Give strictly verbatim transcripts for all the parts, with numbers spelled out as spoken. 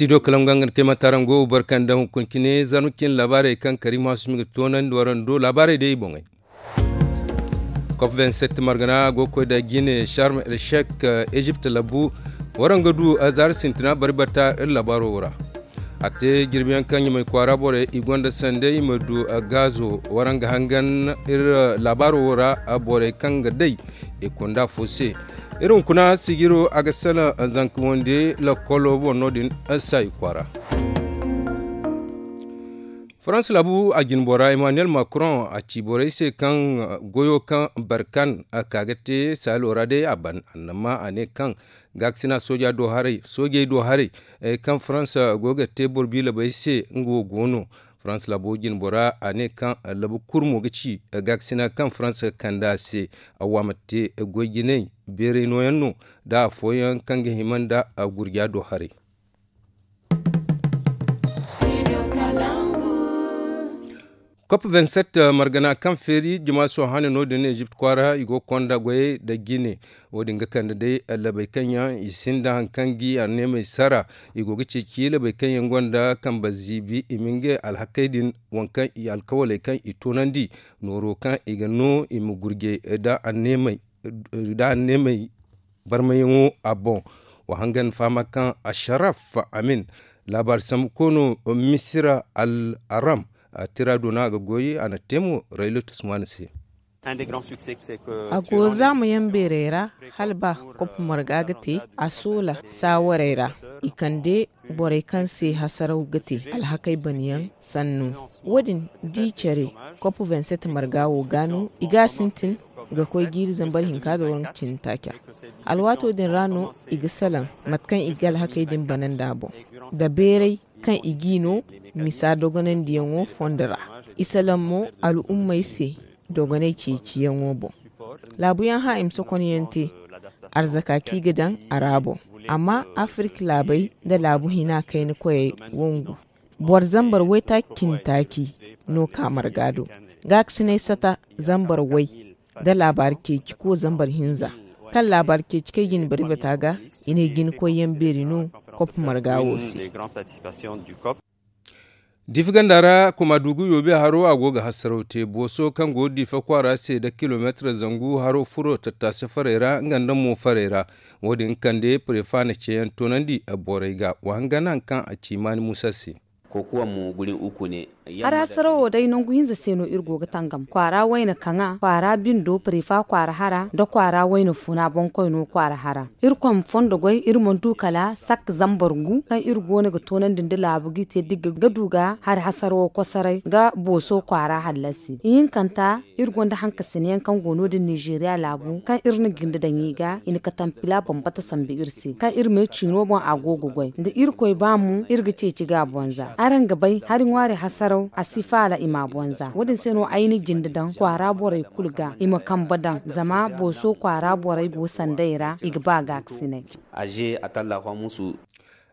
Studio kalangu ga nga kay matarango barkan da hunkuna cine zarma cine laabaarey kaŋ kariima su mi ga toonandi warando laabaarey day i boŋey. Kop vingt-sept margana go ga koy da jine sharm el sheik, egypt labu. Waraŋ ga du zaari sintina bari batta iri laabaaro wo ra. A te jirbi yaŋ kaŋ ɲamay kwaara borey i gonda sanday i ma du gaazo. Waraŋ ga hangan iri laabaaro wo ra borey kaŋ ga day i kunda fo se. Iri hunkuna sijiro a ga salaŋ zanka wande lakkolo boŋ no- din saayi kwaara. Farans laabu a jinbora emmanuel macron a ci borey se kaŋ goyo kaŋ barkan a ka ga te saalo ra day a ban annama a ne kaŋ gaakasina soojey do haray kaŋ farans go ga te boro biilabey se nga wo go no. Farans laabo jinbora a ne kaŋ laabo kurmo ga ci gaakasina kaŋ farans ga kande a se a waama te goy jinay beeray nooyaŋ no da afooyaŋ kaŋ ga hima nda gurja do haray. Kop vingt-sept margana kaŋ feeri jama sohã ne no- din egypt kwaara i go ga konda goyey nda jine. Wo- din ga kande day labey kaŋ yaŋ i sinda hari kaŋ ga i anneemey sara. I go ga ceeci labey kaŋ yaŋ gonda kambe ziibi i ma ngey alhakey din waŋ kaŋ i alkawaley kaŋ i toonandi nooro kaŋ i ga no i ma gurjey nda anneemey barmayaŋo a boŋ. Wa hangan fahama kaŋ asharaf amin laabaari sambu koono misira al aram tira doona a ga goy a na te mo raylatus ŋwaani se. A go zaamayaŋ beerey ra hala ba kop marga ga te a soola saawarey ra i kande borey kaŋ se hasaraw ga te alhakey banayaŋ sannu. Wo- din da i care kop vingt-sept marga wo ga no i ga a sintin ga koy jiiri zambar hinka da waranka cindi taaca. Alwaato din ra no i ga salaŋ mate kaŋ i ga alhakey din bana nd'a boŋ nda beeray kaŋ i g'i no misa dogonandiyaŋo fondo ra. I salaŋ mo al'ummey se dogonay ceeciyaŋo boŋ. Laabuyaŋ hã i ma sokonyaŋ te arzaka kaŋ i ga daŋ a ra boŋ. Amma afirka laabey nda laabu hina kayna koyey wangu boro zambar waytaaci cindi taaci no ka marga do. Gaakasinay sata zambar way nda laabaari ceeci ko zambar hinza kaŋ laabaari ceeci kaŋ i ga ni bari bata ga i ne jinakoyyaŋ beeri no kop marga wo se. Diifa ganda ra kuma dugu yoobi haro a go ga hasaraw te booso kaŋ go diifa kwaara se nda kilomeetar zangu haro furo tattaasi farey ra nga nda mo farey ra. Wo- din kande prefa na ceeyaŋ toonandi borey ga wa hangan hari kaŋ a ci maani muusa se. Hari hasarawo day nangu hinza se no iri go ga tangam kwaara wayna kaŋa kwaara bindo prefa kwaara hara nda kwaara wayna funa boŋkoyno kwaara hara. Iri koy ma fondo goy iri mana du kala sak zambar gu kaŋ iri go no ga toonandi nda laabu ga i te digga ga du ga hari hasarawo kosoray ga booso kwaara hallasi ihinkanta. Iri gonda hankasinayaŋ kaŋ go no- din nizeeriya laabu kaŋ iri na jinde daŋ i ga i na katampila bambata sambu iri se kaŋ iri me ciino boŋ a go ga goy nda irkoy ba mo iri ga ceeci ga a bonza araŋ ga bay hari ŋwaari hasaraw a si faala i ma a bonza wo- din se no ay na jinde daŋ kwaara borey kulu ga i ma kambe daŋ zama booso kwaara borey go sanday ra i ga ba gaakasinay.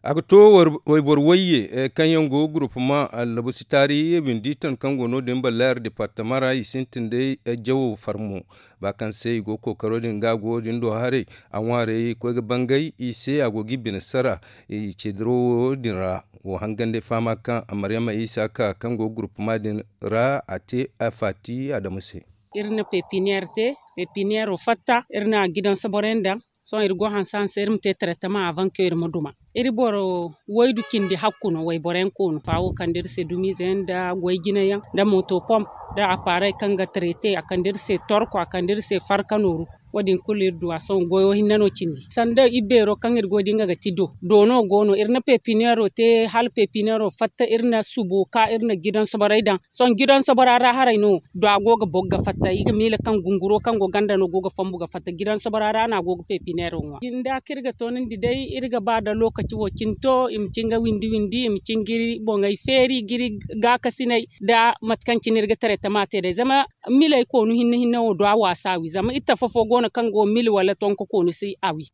A ga to wayboro wayye kaŋ yaŋ go guruppama allabu si taari windi tan kaŋ go no- din ballayar departama ra i sintin day jawo farmo ba kaŋ se i go kookaro din ga a go din do haray a ŋwaarey koy ga bangay i se a go ga i bine sara i ceediro wo din ra. Wo hangan day fahama kaŋ maryama isa ka kaŋ go guruppama din ra a te a faati adamu se. Iri na pepiniyer te pepiniyero fatta iri na gidan soborey daŋ. Sohõ iri go hanse hanse iri ma te taretama avanke iri ma duma iri boro waydu cindi hakku no wayboro yaŋ koonu faawo kande iri se dumiize yaŋ nda goy jine yaŋ nda moto pomp nda aparey kaŋ ga tarete a kande iri se torko a kande iri se farka nooru. Wo- din kulu iri du a sohõ goyo hinne no cindi sanda ibeero kaŋ iri goy da nga ga ti do doono go no iri na pepiniyero te hala pepiniyero fatta iri na subo ka iri na gidan soborey daŋ. Sohõ gidan sobora ra haray no do a go ga bog ga fatta i ga miila kaŋ gunguro kaŋ go ganda no go ga fambu ga fatta gidan sobora ra no a go ga pepineero ŋwa jinda kaŋ iri ga toonandi day iri ga ba da lookaci wo cine to i ma cin ga windi windi i ma cin ga iri boŋey feeri ga iri gaakasinay nda mate kaŋ cine iri ga taretama te day zama miley koonu hinne hinne wo do a waasa a wi zama iri tafa fo go no kaŋ go mil wala tonko koonu si a wi.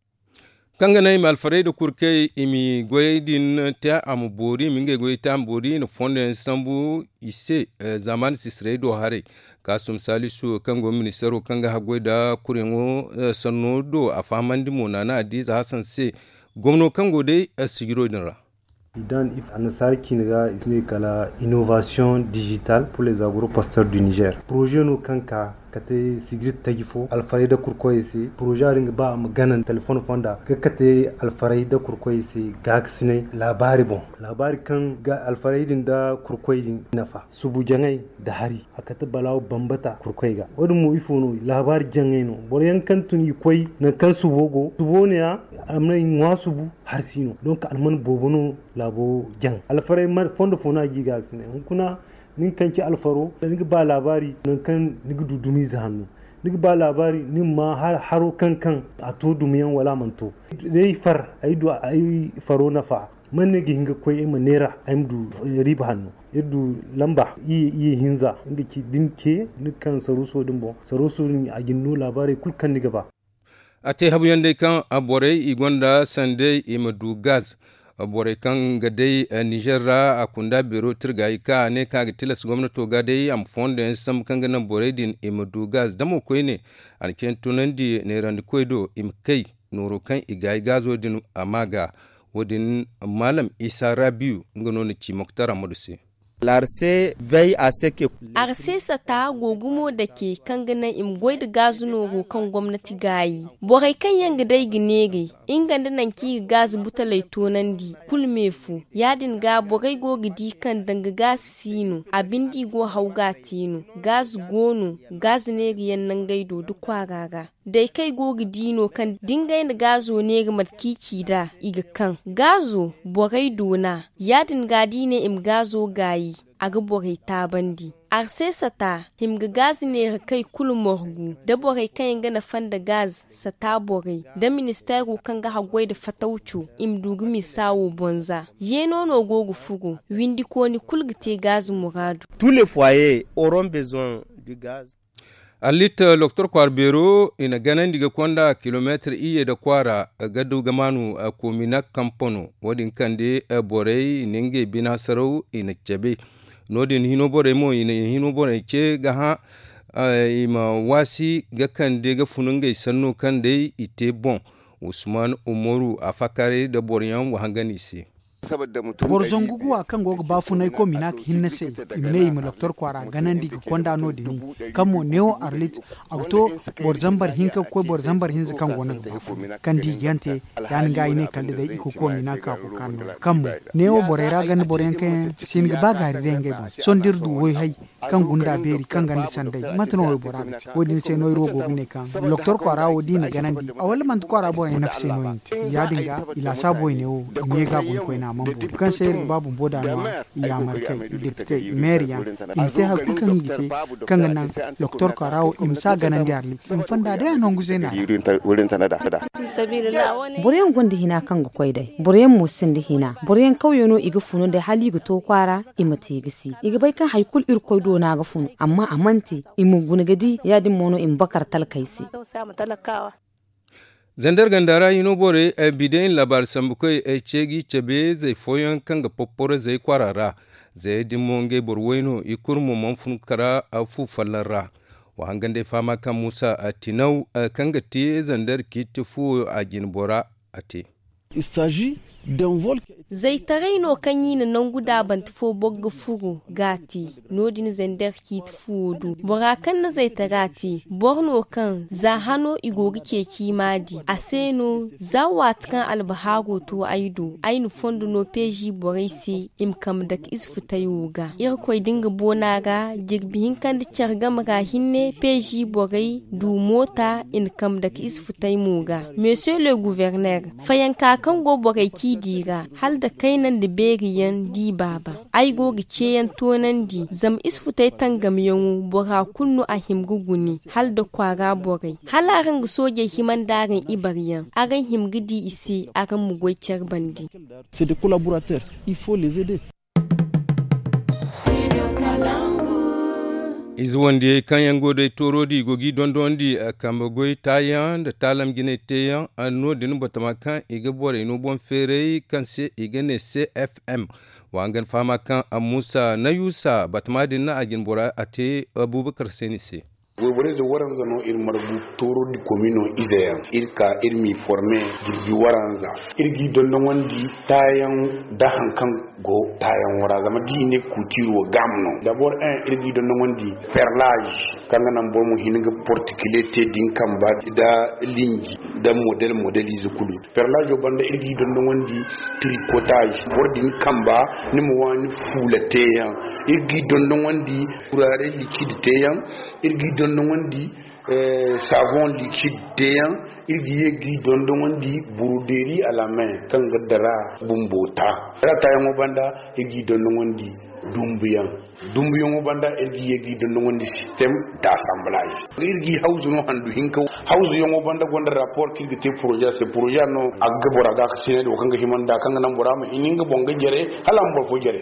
Kaŋ ga naŋ i ma alfarey nda kurkey i ma goyey din te a ma boori i ma ngey goyey te a ma boori i na fondo yaŋ sambu i se. Zaamaani sisirey do haray kaasum saalisu kaŋ go ministaro kaŋ ga haggoy nda kuryaŋo sanno do a fahamandi mo naana adiiza hasan se gomno kaŋ go day sijiro din ra. I dan annasaara ciine ga i si ne kala innovation digital pour les agro pasteurs du niger. Projet no kaŋ ka ka te sigir taji fo alfarey nda kurkoyey se. Projet a din ga ba a ma gana telefoŋ fonda ga kate alfarey nda kurkoyey se gaakasinay laabaari boŋ. Laabaari kaŋ ga alfarey din nda kurkoyey din nafa subu jaŋay nda hari a kate balaawo bambata kurkoy ga. Wo- din mo ifo no laabaari jaŋay no boro yaŋ kaŋ tun i koy nangu kaŋ subo go subo ne ya a mana i ŋwa subu hari si no. Donk alman boobo no laabo jaŋ alfarey fondo fo no a ga i gaakasinay hunkuna. Nin kaŋ ci alfaro ni ga ba laabaari nangu kaŋ ni ga du dumiize hanno. Ni ga ba laabaari ni ma ma haro kaŋ kaŋ a to dumiyaŋ wala a mana to. Day far ay du ay faro nafa man no ay ga hin ga koy ay ma neera ay ma du riiba hanno. Iri du lamba iye hinza nga ci da ni ce ni ga kaŋ saruuso din boŋ saruuso din a ga ni no laabaarey kulu kaŋ ni ga ba. A te habu yaŋ day kaŋ borey i gonda sandey i ma du gaz. Borey kaŋ ga day nizer ra a kunda beero tirga i ka a ne kaŋ a ga tilas gomnato ga day a ma fondo yaŋ sambu kaŋ ga naŋ borey din i ma du gaz damo koyne. A na cine tunandi neerandikoy do i ma kay nooro kaŋ i gaayi gaazo din a ma ga. Wo- din maalam isa rabiyu nga no na ci moktar amadu se. Arse sata go gumo dake kaŋ ga naŋ i ma goy nda gaazu nooro kaŋ gomnati gaayi. Borey kaŋ yaŋ ga day ga neeray nga nda nangu kaŋ i ga gaazu butaley toonandi kulu me fo. Ya- din ga borey go ga di kaŋ danga gaazu si no a binde i go haw ga a te no. Gaazu go no. Gaazu neerayaŋ nangey do nda kwaara ra. Day kaŋ ay go ga di no kaŋ da ngey na gaazo neera mate kaŋ i ci nd'a i ga kaŋ gaazo borey doona. Ya- din ga da i ne i ma gaazo gaayi a ga borey taabandi. Arse sata hima ga gaazi neera kay kulu morgu nda borey kaŋ yaŋ ga nafa nda gaaz sata borey nda ministeero kaŋ ga haggoy nda fatawco i ma du ga misa wo boŋ za. Yeeno no go ga furo windikooni kulu ga te gaazi muraadu. Arlit doktor kwaara beero i na ganandi ga konda kilomeetir iyye nda kwaara ga du ga maanu kominak kampano. Wo- din kande borey i na ngey bina saraw i na cabe. No- din hino borey mo i na hino borey ce ga hã i ma waasi ga kande ga fun ngey sanno kaŋ day i te boŋ. Usman umaru a faakaaray nda boro yaŋ wa hangan i se. Boro zangu guwa kaŋ go ga baafunay kominak hinne se i ma ne i ma doktor kwaara ganandi ga konda no- din kaŋ mo neewo arlit a ga to boro zambar hinka ga koy boro zambar hinza kaŋ go no ga baafun kaŋ da i ga yaŋ te. Ya- din ga i ne kala da day i ga kominak a go kaŋ no kaŋ mo neewo borey ra ganda boro yaŋ kaŋ yaŋ si hin ga ba gaari day ngey boŋ se sohõ da iri du woy hay kaŋ gunda beeri kaŋ ganda sanday mate no waybora ga te wo- din se no iri wo go ga ne kaŋ doktor kwaara wo da i na ganandi a wala manti kwaara borey nafa se no i na te. Ya- din ga i laasaabo i ne wo i ma ye ga a guna koyne a mana boori kaŋ se iri ga ba bumbo da no i yaamar kay depite meeri yaŋ i ma te hari kulu kaŋ i ga te kaŋ ga naŋ doktor kwaara wo i ma si a ganandi arlit i ma fonda day a nangu zeena ra. Boro yaŋ gonda hina kaŋ ga koy day boro yaŋ mo sinda hina boro yaŋ kawyo no i ga funu day hala i ga to kwaara i ma te ga si i ga bay kaŋ hari kulu irkoy do no a ga funu amma a mana te i ma guna ga di ya- din mo no i ma bakar talkey se. Zander ganda ra hino borey bideyaŋ laabaari sambukoy ay ce ga i cabe zay fooyaŋ kaŋ ga popporo zay kwaara ra. Zayey din mo ngey boro way no i kulu mo mana fun kara fu folloŋ ra. Wa hangan day fahama kaŋ muusa tinaw kaŋ ga te zander ciiti fuwo a jine bora a te. Zaytaray no kaŋ i na nangu daabante fo boro ga furo ga a te. No- din zander ciiti fuwo do bora kaŋ na zaytara te boro no kaŋ za hano i go ga ceeci i m'a di a se no. Za waati kaŋ albahaaro to ay do ay na fondo no peezi borey se i ma kambe dake ize futay wo ga irkoy da nga boona ra jirbi hinka nda care game ra hinne peezi borey du moota i na kambe dake ize futay mo ga. Monsieur le gouverneur, fayanka kaŋ go borey ciidi ra hala nda kayna nda beeri yaŋ di baaba. Ay go ga ceeyaŋ toonandi zama isfutey tangamyaŋo bora kulu no a hima ga guni hala nda kwaara borey hala araŋ ga soojey hima nda araŋ ibaryaŋ araŋ hima ga di i se araŋ ma goy care bande. Ize wandiyey kaŋ yaŋ go day tooro di i go ga i dondonandi kambe goy taayaŋ nda taalam jinay teeyaŋ. No- din batama kaŋ i ga borey no boŋ feeray kaŋ se i ga ne cfm. Wa hangan fahama kaŋ muusa nayusa batama din a jine bora a te. Abubakar seeni se. Wayborey ze waranza no iri margu, tooro di komino ize yaŋ iri ka iri m'i forme. Jirbi waranza iri g'i dondongondi taayaŋ da haŋ kaŋ go taayaŋo ra zama da i ne kuutiiro gaama no. Dabor en iri g'i dondongondi perlage kaŋ ga naŋ boro ma hin ga portikile te din kamba da linji da model model ize kulu. Perlazo banda iri g'i dondongondi trikotaze boro din kamba ni ma waani fuula teeyaŋ. Iri g'i dondongondi turare likid teeyaŋ. Iri g'i dondongondi savon likid teeyaŋ. Iri ga ye g'i dondongondi buruderi alamen kaŋ ga dara bumbo ta. Dara taayaŋo banda iri g'i dondongondi dumbuyaŋ. Dumbuyaŋo banda iri ga ye g'i dondongondi sistem da asamblaz. Iri g'i hawzu no handu hinka hawzuyaŋo banda gonda rapor kaŋ iri ga te poroza se poroza no a ga bora ga ka sinay da wo kaŋ ga himanda kaŋ ga naŋ bora ma hin nga boŋ ga jare hala a ma boro fo jare.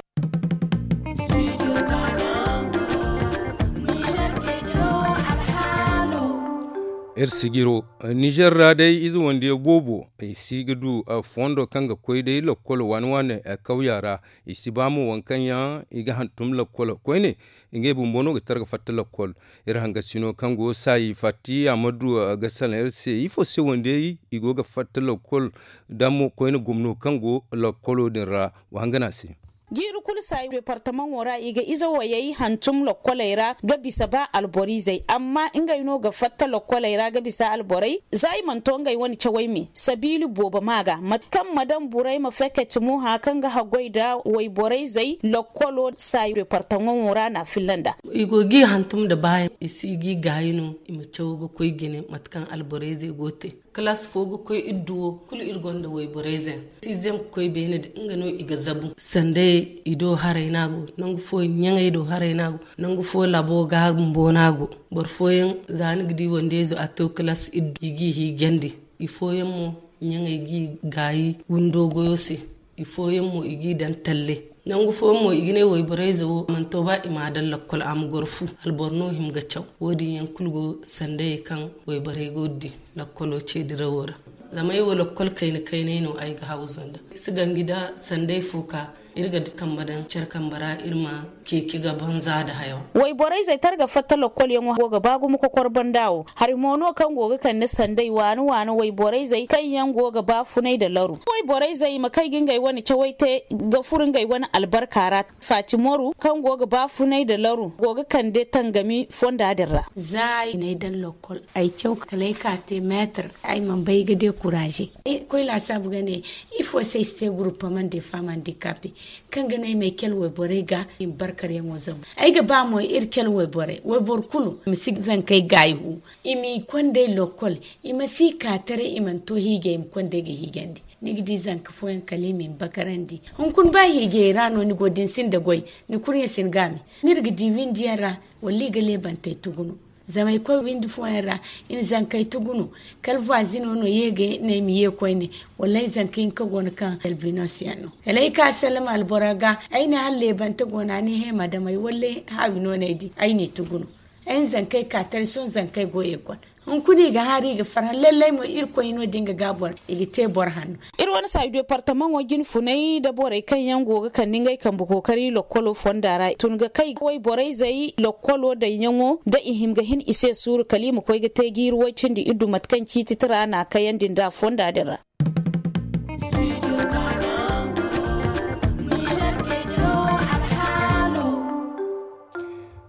Iri sijiro nizer ra day ize wandiyo boobo i si ga du fondo kaŋ ga koy day lakkol waani waani kawya ra. I si ba mo waŋ kaŋ yaŋ i ga hantum lakkol koyne. Ngey bumbo no ga tara ga fatta lakkol. Iri hangasino kaŋ go saayi fatti a ma du ga salaŋ iri se ifo se wandiyey i go ga fatta lakkol da mo koyne gomno kaŋ go lakkolo din ra. Wa hangana se. Jiiri kulu saayi departamaŋo ra i ga ize wayey hantum lakkoley ra ga bisa ba alboriizey amma ngey no ga fatta lakkoley ra ga bisa alborey za i mana to ngey wane cawey me sabiili boobo ma ga mate kaŋ ma daŋ burey ma feketi mo hã kaŋ ga haggoy nda wayborey zey lakkolo saayi departamaŋo ra na a filla nda. I go g'i hantum nda baayaŋ i si g'i gaayi no i ma caw ga koy jine mate kaŋ alborey zey go ga te. Kalaas fo ga koy iddu wo kulu iri gonda wayborey zey no si zey ma koy beene din nga no i ga zabu sanda i do haray no a go nangu fooyaŋ ɲaŋey do haray no a go. Nangu fo labo ga bumbo no a go. Boro fooyaŋ za ni ga di wandeyzo a to kalaas iddu i g'i hiijandi. I fooyaŋ mo ɲaŋey g'i gaayi windo goyo se. I fooyaŋ mo i g'i daŋ talle. Nangu fooyaŋ mo i ga ne wayborey ze wo a mana to ba i m'a daŋ lakkol a ma goro fu. Alboro no hima ga caw wo- din yaŋ kulu go sandayey kaŋ wayborey go ga di lakkolo ce dirawo ra. Zama ay wo lakkol kayna kaynay no ay ga hawzu nda si ganji nda sanday fo ka iri ga kamba daŋ care kamba ra iri ma ceeci ga banza nda hayo. Wayborey zey targa fatta lokkolyaŋo go ga ba gumo kokor banda wo hari mo no kaŋ go ga kande sanday waani waani wayborey zey kaŋ yaŋ go ga ba funay nda laru wayborey zey i ma kay ga ngey wane cawey te ga furo ngey wane albarka ra. Faati moru kaŋ go ga ba funay nda laru go ga kande tangami fonda din ra. Za ay n'ay daŋ lokkol ay caw kala ay ka te meetar ay mana bay ga dekuraaze. Koy laasaabu ga ne ifo se ay si te guruppamande faama handikaape kaŋ ga ne ay ma ay cale wayborey ga i ma barkaryaŋo zabu. Ay ga ba mo iri cale wayborey wayboro kulu ma si zankey gaayi hu. I m'i konday lokkol i ma si ka taray i mana to hiijay i ma konday ga hiijandi. Ni ga di zanka fooyaŋ kala i m'i bakarandi. Hunkuna ba hiijayey ra no ni go da ni sinda goy ni kurɲe si ni gaami. Ni iri ga di windiyaŋ ra wala i ga leebantey tugu no. Zama ay koy windi fooyaŋ ra i na zankey tugu no. Kala vwazino no ye ga ne ay ma ye koyne wala ay zanka hinka go no kaŋ albinos yaŋ no. Kala ay ka sallama albora ga ay ne hala leebante go no a ne he ma damay wala haawi no no ay di ay n'i tugu no. Ay na zankey ka taray sohõ zankey go ekol. Hunkuna i ga haari i ga farhã lallay mo irkoy no da nga ga boro i ga te boro hanno. Iri wane saayi departamaŋo jine funay nda borey kaŋ yaŋ go ga kande ngey kambe kookari lokkolo fonda ra tun ga kay wayborey zey lokkolo daŋyaŋo da i hima ga hin i se suuru kala i ma koy ga te jiiri way cindi iddu mate kaŋ ciiti tira n'a kayandi nd'a fonda din ra.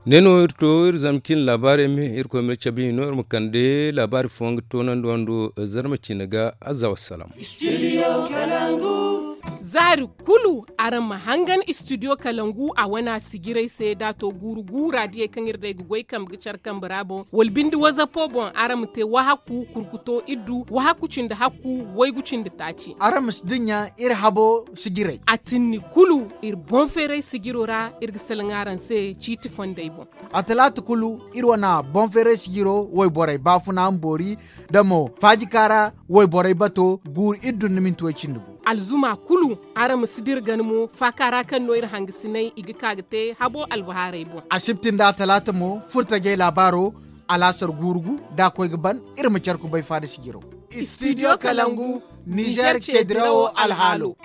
Ne no iri to iri zama cine laabaarey me irkoy ma iri cabe i no iri ma kande laabaari fooyaŋ ga toonandi wando zarma ciine ga. Azza wassalam. Zaari kulu araŋ ma hangan istidiyo kalangu a wana sijirey se da a to guuru guura diyey kaŋ iri day ga goy kambe ga care kambe ra boŋ wala binde wazapo boŋ araŋ ma te wahakku kurkuto iddu wahakku cindi hakku waygu cindi taaci. Araŋ ma si dinya iri habo sijirey a tinni kulu iri boŋ feeray sijiro ra iri ga salaŋ araŋ se ciiti fondey boŋ. A talaata kulu iri wane boŋ feeray sijiro wayborey baafuna ma boori da mo faajika ra wayborey bato guuru iri dun ni minti way cindi gu. Alzuma kulu araŋ ma si dira gana mo faaka ra kaŋ no iri hangasinay i ga ka ga te habo albahaarey boŋ. Asibti nda talaata mo furtajey laabaaro alaasar guuru gu da a koy ga ban iri ma care kubay faada sijiro. Istidiyo kalangu nizer ce dirawo alhaalo.